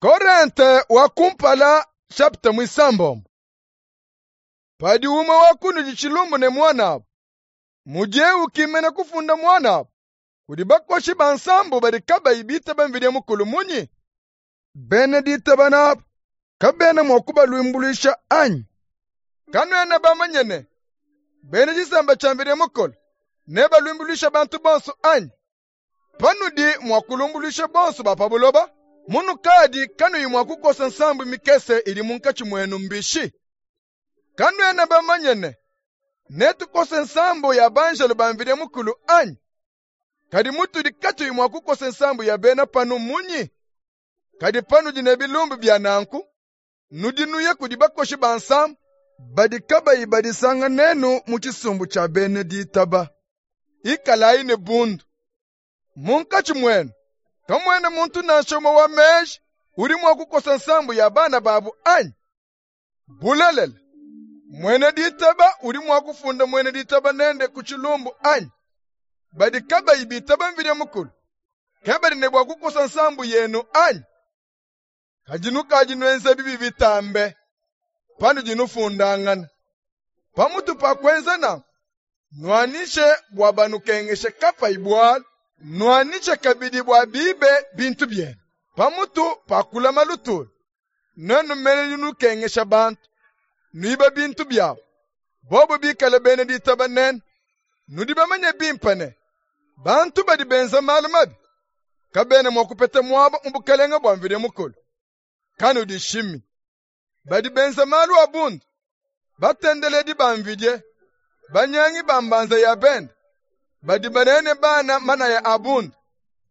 Korente wa kumpala chapitre muisambombo. Padi umue wa kunudi tshilumbu ne muanabu, mudiye ukimena kufunda muanabu kudi bakoshi ba nsambu badi kabayi bitaba Mvidie Mukulu munyi? Bena ditaba nabu kabena mua kubalumbuluisha anyi? Kanuena bamanye ne, bena tshisamba tshia Mvidie Mukulu nebalumbuluishe bantu bonso anyi? Panudi mua kulumbuluisha bonso ba pa buloba, munukadi kanuyi mua kukosa nsambu mikese idi munkatshi muenu mbishi? Kanuena bamanye ne, netukose nsambu ya banjelu ba Mvidie Mukulu anyi? Kadi mutudi katuyi mua kukosa nsambu ya bena panu munyi? Kadi panudi ne bilumbu bia nanku, nudi nuya kudi bakoshi ba nsambu badi kabayi badisanga nenu mu tshisumbu tshia bena ditaba. Ikalayi ne bundu. Munkatshi muenu kamuena muntu nansha umue wa meji udi mua kukosa nsambu ya bana babu anyi? Bulelela, muena ditaba udi mua kufunda muena ditaba nende ku tshilumbu anyi? Badi kabayi bitaba Mvidie Mukulu, ke badi ne bua kukosa nsambu yenu anyi? Kadi nukadi nuenza bibi bitambe panudi nufundangana. Pamutu pa kuenza nanku, nuanyishe bua banukengeshe kapayi bualu, nuanyishe kabidi bua bibe bintu bienu. Pamutu pa kulama lutulu, nuenu mene nudi nukengesha bantu, nuiba bintu biabu. Bobu bikale bena ditaba nenu, nudi bamanye bimpe ne, bantu badi benza malu mabi kabena mua kupeta muaba mu bukalenge bua Mvidie Mukulu. Kanudishimi. Badi benza malu a bundu, batendeledi ba mvidie, banyangi ba mbanza ya bende, badi banaya ne bana manaya a bundu,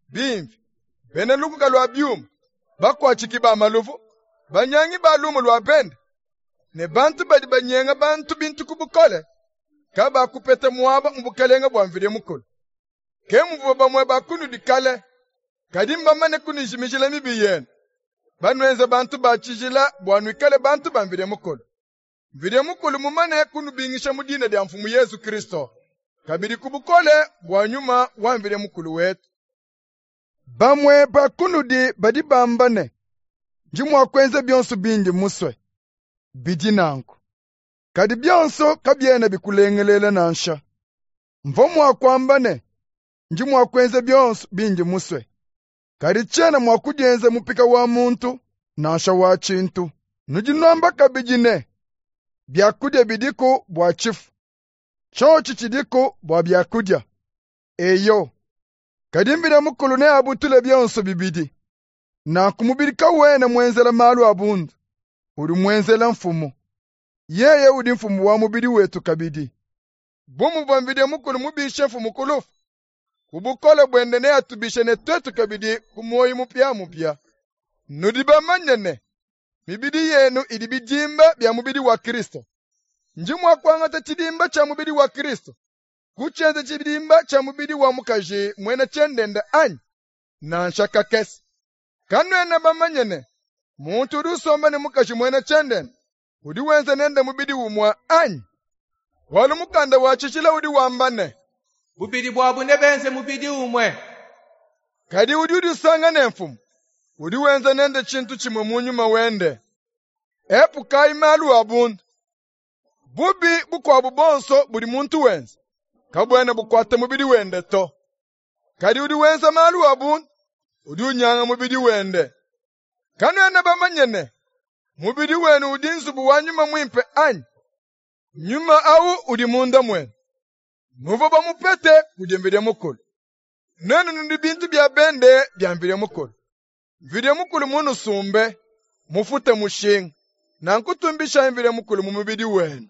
bimvi, bena lukuka lua biuma, bakuatshiki ba maluvu, banyangi ba lumu lua bende, ne bantu badi banyenga bantu bintu ku bukole, kabakupeta muaba mu bukalenge bua Mvidie Mukulu. Ke muvua bamue ba kunudi kale, kadi mbamane kunujimijila mibi yenu, banuenze bantu ba tshijila bua nuikale bantu ba Mvidie Mukulu. Mvidie Mukulu mumane kunubingisha mu dina dia Mfumu Yezu Kristu, kabidi ku bukole bua Nyuma wa Mvidie Mukulu wetu. Bamue ba kunudi badi bamba ne, Ndi mua kuenza bionso bindi musue. Bidi nanku. Kadi bionso kabiena bikulengelela nansha. Mvua mua kuamba ne, ndi mua kuenza bionso bindi musue, kadi tshiena mua kudienza mupika wa muntu nansha wa tshintu. Nudi nuamba kabidi ne, biakudia bidiku bua tshifu, tshiotshi tshidiku bua biakudia. Eyo, kadi Mvidi Mukulu neabutule bionso bibidi. Nanku mubidi kawena muenzela malu a bundu, udi muenzela Mfumu. Yeye udi Mfumu wa mubidi wetu kabidi. Bu muvua Mvidi Mukulu mubishe Mfumu ku lufu, ku bukole buende neatubishe ne tuetu kabidi ku muoyo mupiamupia. Nudi bamanye ne, mibidi yenu idi bidimba bia mubidi wa Kristo. Ndi mua kuangata tshidimba tshia mubidi wa Kristo, kutshienza tshidimba tshia mubidi wa mukaji muena tshiendenda anyi? Nansha kakese. Kanuena bamanye ne, muntu udi usomba ne mukaji muena tshiendenda udi wenza nende mubidi umue anyi? Bualu mukanda wa tshijila udi wamba ne, Bubidi buabu nebenze mubidi umue. Kadi udi udisanga ne Mfumu, udi wenza nende tshintu tshimue mu nyuma wende. Epukayi malu a bundu. Bubi bukuabu buonso budi muntu wenza kabuena bukuata mubidi wende to. Kadi udi wenza malu a bundu udi unyanga mubidi wende. Kanuena bamanye ne, mubidi wenu udi nzubu wa Nyuma Muimpe anyi? Nyuma awu udi munda muenu. Nuvua bamupete kudi Mvidie Mukulu. Nuenu nudi bintu bia bende bia Mvidie Mukulu. Mvidie Mukulu munusumbe, mufute mushinga. Nanku tumbishayi Mvidie Mukulu mu mubidi wenu.